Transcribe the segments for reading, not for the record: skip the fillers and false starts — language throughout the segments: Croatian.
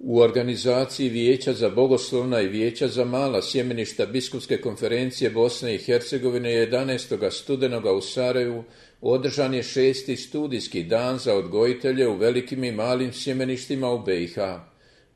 U organizaciji Vijeća za bogoslovna i Vijeća za mala sjemeništa Biskupske konferencije Bosne i Hercegovine 11. studenoga u Sarajevu održan je 6. studijski dan za odgojitelje u velikim i malim sjemeništima u BiH.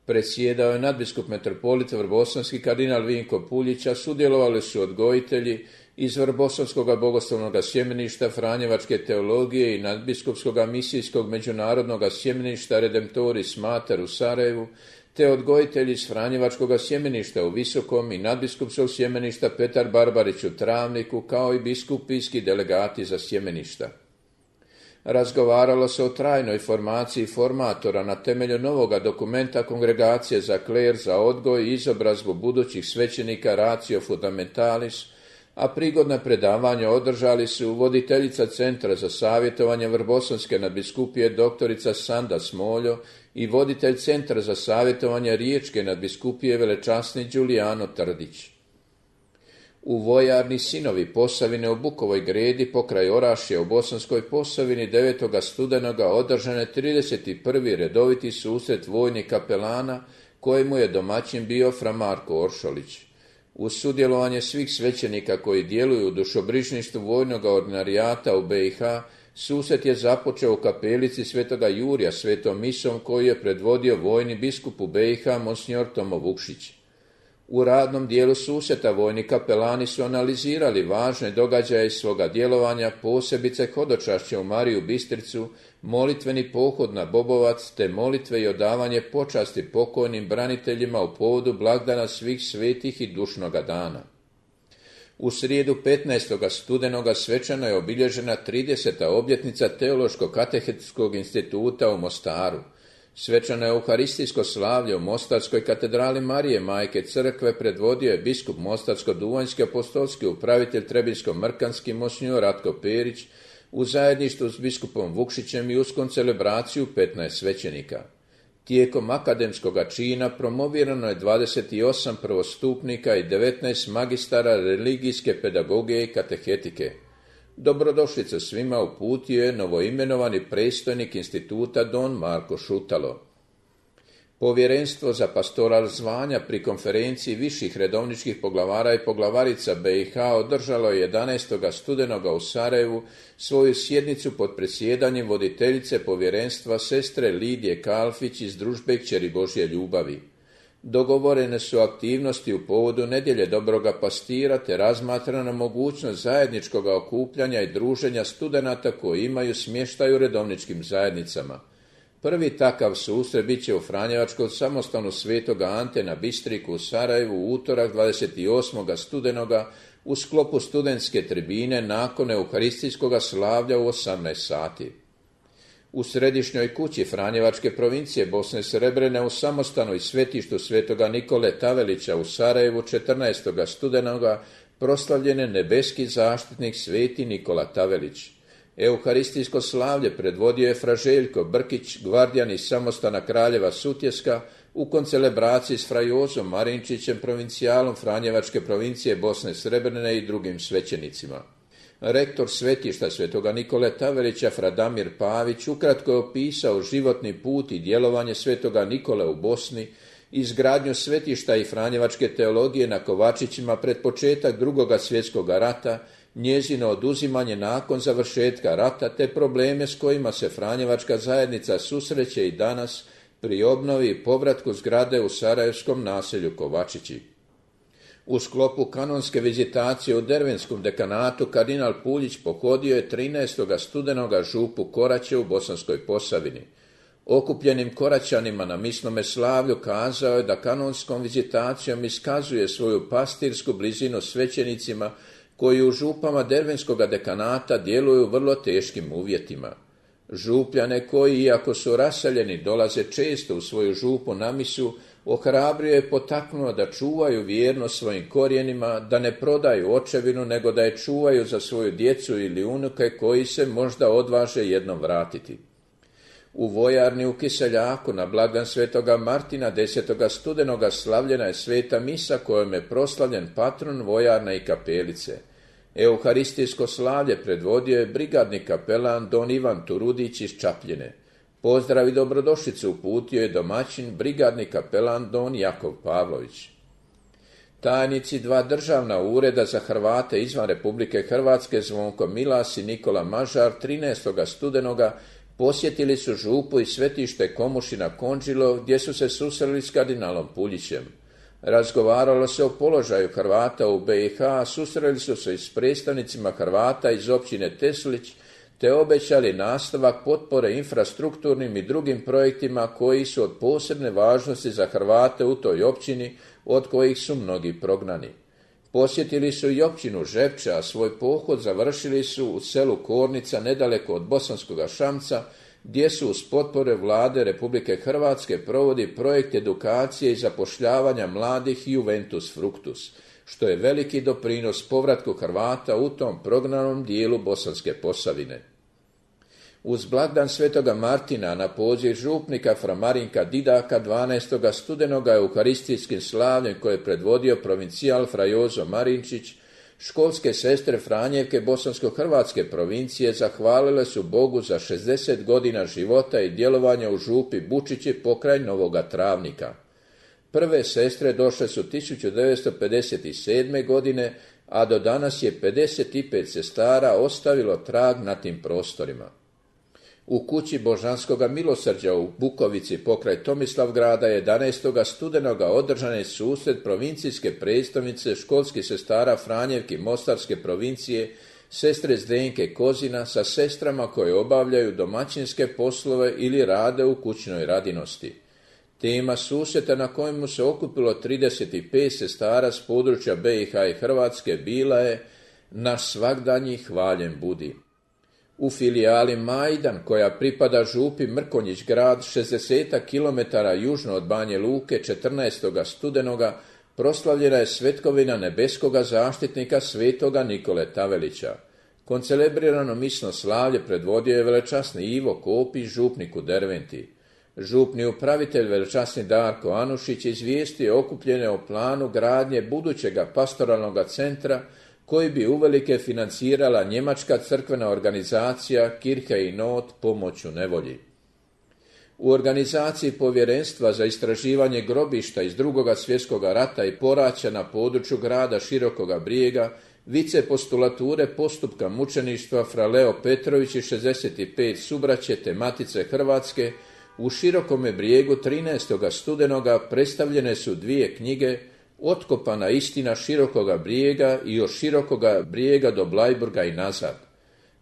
Predsjedao je nadbiskup metropolit vrbosanski kardinal Vinko Puljić, a sudjelovali su odgojitelji iz Vrbosanskog bogoslovnog sjemeništa Franjevačke teologije i nadbiskupskog misijskog međunarodnog sjemeništa Redemptoris Mater u Sarajevu, te odgojitelji iz Franjevačkog sjemeništa u Visokom i nadbiskupskog sjemeništa Petar Barbarić u Travniku, kao i biskupijski delegati za sjemeništa. Razgovaralo se o trajnoj formaciji formatora na temelju novoga dokumenta Kongregacije za kler za odgoj i izobrazbu budućih svećenika Ratio Fundamentalis, a prigodna predavanja održali su voditeljica Centra za savjetovanje Vrbosanske nadbiskupije doktorica Sanda Smoljo i voditelj Centra za savjetovanje Riječke nadbiskupije velečasni Đulijano Trdić. U vojarni Sinovi Posavine u Bukovoj Gredi pokraj Orašja u Bosanskoj Posavini 9. studenoga održan je 31. redoviti susret vojnih kapelana kojemu je domaćin bio fra Marko Oršolić. Uz sudjelovanje svih svećenika koji djeluju u dušobrižništvu vojnog ordinarijata u BiH, susret je započeo u kapelici svetoga Jurija svetom misom koju je predvodio vojni biskup u BiH monsignor Tomo Vukšić. U radnom dijelu susreta vojni kapelani su analizirali važne događaje svoga djelovanja, posebice hodočašće u Mariju Bistricu, molitveni pohod na Bobovac, te molitve i odavanje počasti pokojnim braniteljima u povodu blagdana svih svetih i dušnoga dana. U srijedu 15. studenoga svečano je obilježena 30. obljetnica Teološko-katehetskog instituta u Mostaru. Svečano euharistijsko slavlje u Mostarskoj katedrali Marije Majke Crkve predvodio je biskup Mostarsko-duvanjski apostolski upravitelj Trebinsko-mrkanski monsignor Ratko Perić u zajedništvu s biskupom Vukšićem i uskom celebraciju 15 svećenika. Tijekom akademskog čina promovirano je 28 prvostupnika i 19 magistara religijske pedagogije i katehetike. Dobrodošlicu svima uputio je novoimenovani predstojnik instituta don Marko Šutalo. Povjerenstvo za pastoral zvanja pri konferenciji viših redovničkih poglavara i poglavarica BiH održalo je 11. studenoga u Sarajevu svoju sjednicu pod predsjedanjem voditeljice povjerenstva sestre Lidije Kalfić iz družbe Kćeri Božje ljubavi. Dogovorene su aktivnosti u povodu nedjelje dobroga pastira te razmatrana mogućnost zajedničkog okupljanja i druženja studenata koji imaju smještaj u redovničkim zajednicama. Prvi takav susret bit će u Franjevačkom samostanu Svetoga Ante na Bistriku u Sarajevu u utorak 28. studenoga u sklopu studentske tribine nakon euharistijskog slavlja u 18 sati. U središnjoj kući Franjevačke provincije Bosne Srebrene u samostanu i svetištu svetoga Nikole Tavelića u Sarajevu 14. studenoga proslavljen je nebeski zaštitnik sveti Nikola Tavelić. Euharistijsko slavlje predvodio je fra Željko Brkić, gvardijan iz samostana Kraljeva Sutjeska, u koncelebraciji s fra Jozom Marinčićem, provincijalom Franjevačke provincije Bosne Srebrene i drugim svećenicima. Rektor svetišta svetoga Nikole Tavelića fra Damir Pavić ukratko je opisao životni put i djelovanje svetoga Nikole u Bosni, izgradnju svetišta i Franjevačke teologije na Kovačićima pred početak II. Svjetskog rata, njezino oduzimanje nakon završetka rata te probleme s kojima se Franjevačka zajednica susreće i danas pri obnovi i povratku zgrade u sarajevskom naselju Kovačići. U sklopu kanonske vizitacije u Dervenskom dekanatu kardinal Puljić pohodio je 13. studenoga župu Koraće u Bosanskoj Posavini. Okupljenim Koraćanima na misnome slavlju kazao je da kanonskom vizitacijom iskazuje svoju pastirsku blizinu svećenicima koji u župama Dervenskog dekanata djeluju u vrlo teškim uvjetima. Župljane koji, iako su raseljeni, dolaze često u svoju župu na misu, ohrabrio je potaknuo da čuvaju vjernost svojim korijenima, da ne prodaju očevinu, nego da je čuvaju za svoju djecu ili unuke koji se možda odvaže jednom vratiti. U vojarni u Kiseljaku na blagdan svetoga Martina 10. studenoga slavljena je sveta misa kojom je proslavljen patron vojarne i kapelice. Euharistijsko slavlje predvodio je brigadni kapelan don Ivan Turudić iz Čapljine. Pozdrav i dobrodošlicu uputio je domaćin brigadni kapelan don Jakov Pavlović. Tajnici dva državna ureda za Hrvate izvan Republike Hrvatske Zvonko Milas i Nikola Mažar 13. studenoga posjetili su župu i svetište Komušina Konđilo gdje su se susreli s kardinalom Puljićem. Razgovaralo se o položaju Hrvata u BiH, susreli su se i s predstavnicima Hrvata iz općine Teslić te obećali nastavak potpore infrastrukturnim i drugim projektima koji su od posebne važnosti za Hrvate u toj općini, od kojih su mnogi prognani. Posjetili su i općinu Žepče, a svoj pohod završili su u selu Kornica nedaleko od Bosanskoga Šamca, gdje su uz potpore vlade Republike Hrvatske provodi projekt edukacije i zapošljavanja mladih Juventus Fructus, što je veliki doprinos povratku Hrvata u tom prognanom dijelu Bosanske Posavine. Uz blagdan Svetoga Martina na poziv župnika fra Marinka Didaka 12. studenoga euharistijskim slavljem koje je predvodio provincijal fra Jozo Marinčić, školske sestre Franjevke Bosansko-Hrvatske provincije zahvalile su Bogu za 60 godina života i djelovanja u župi Bučići pokraj Novoga Travnika. Prve sestre došle su 1957. godine, a do danas je 55 sestara ostavilo trag na tim prostorima. U kući Božanskoga milosrđa u Bukovici pokraj Tomislavgrada 11. studenoga održan je susret provincijske predstavnice školskih sestara Franjevki Mostarske provincije, sestre Zdenke Kozina sa sestrama koje obavljaju domaćinske poslove ili rade u kućnoj radinosti. Tema susreta na kojemu se okupilo 35 sestara s područja BiH i Hrvatske bila je "Naš svagdanji hvaljen budi". U filijali Majdan, koja pripada župi Mrkonjić grad 60 km južno od Banje Luke 14. studenoga, proslavljena je svetkovina nebeskoga zaštitnika svetoga Nikole Tavelića. Koncelebrirano misno slavlje predvodio je velečasni Ivo Kopić, župnik u Derventi. Župni upravitelj velečasni Darko Anušić izvijestio je okupljene o planu gradnje budućega pastoralnog centra koji bi uvelike financirala njemačka crkvena organizacija Kirche in Not pomoć u nevolji. U organizaciji povjerenstva za istraživanje grobišta iz II. Svjetskog rata i poraća na području grada Širokoga Brijega, vicepostulature postupka mučeništva fra Leo Petrović i 65 subraće te Matice Hrvatske, u Širokome Brijegu 13. studenoga predstavljene su dvije knjige Otkopana istina Širokoga Brijega i od Širokoga Brijega do Blajburga i nazad.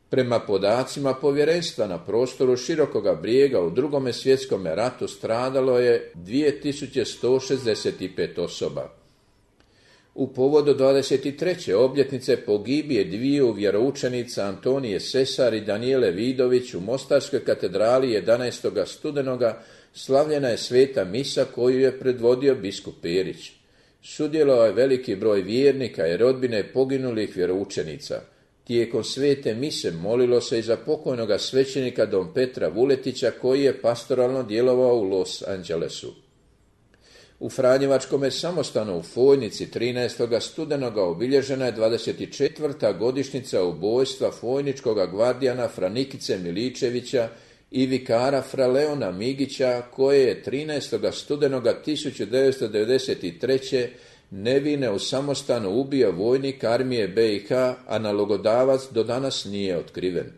Prema podacima povjerenstva na prostoru Širokoga Brijega u II. Svjetskom ratu stradalo je 2165 osoba. U povodu 23. obljetnice pogibije dviju vjeroučenica Antonije Sesar i Danijele Vidović u Mostarskoj katedrali 11. studenoga slavljena je sveta misa koju je predvodio biskup Perić. Sudjelovao je veliki broj vjernika i rodbine poginulih vjeroučenica. Tijekom svete mise molilo se i za pokojnoga svećenika don Petra Vuletića koji je pastoralno djelovao u Los Angelesu. U Franjevačkome samostanu u Fojnici 13. studenoga obilježena je 24. godišnjica ubojstva fojničkoga gvardijana fra Nikice Miličevića i vikara fra Leona Migića, koje je 13. studenoga 1993. nevine u samostanu ubio vojnik armije BiH, a nalogodavac do danas nije otkriven.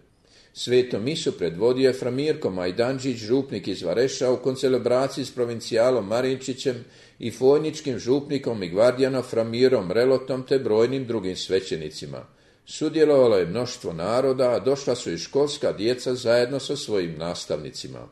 Svetom misu predvodio je fra Mirko Majdanđić, župnik iz Vareša, u koncelebraciji s provincijalom Marinčićem i fojničkim župnikom i gvardijanom fra Mirom Relotom te brojnim drugim svećenicima. Sudjelovalo je mnoštvo naroda, a došla su i školska djeca zajedno sa svojim nastavnicima.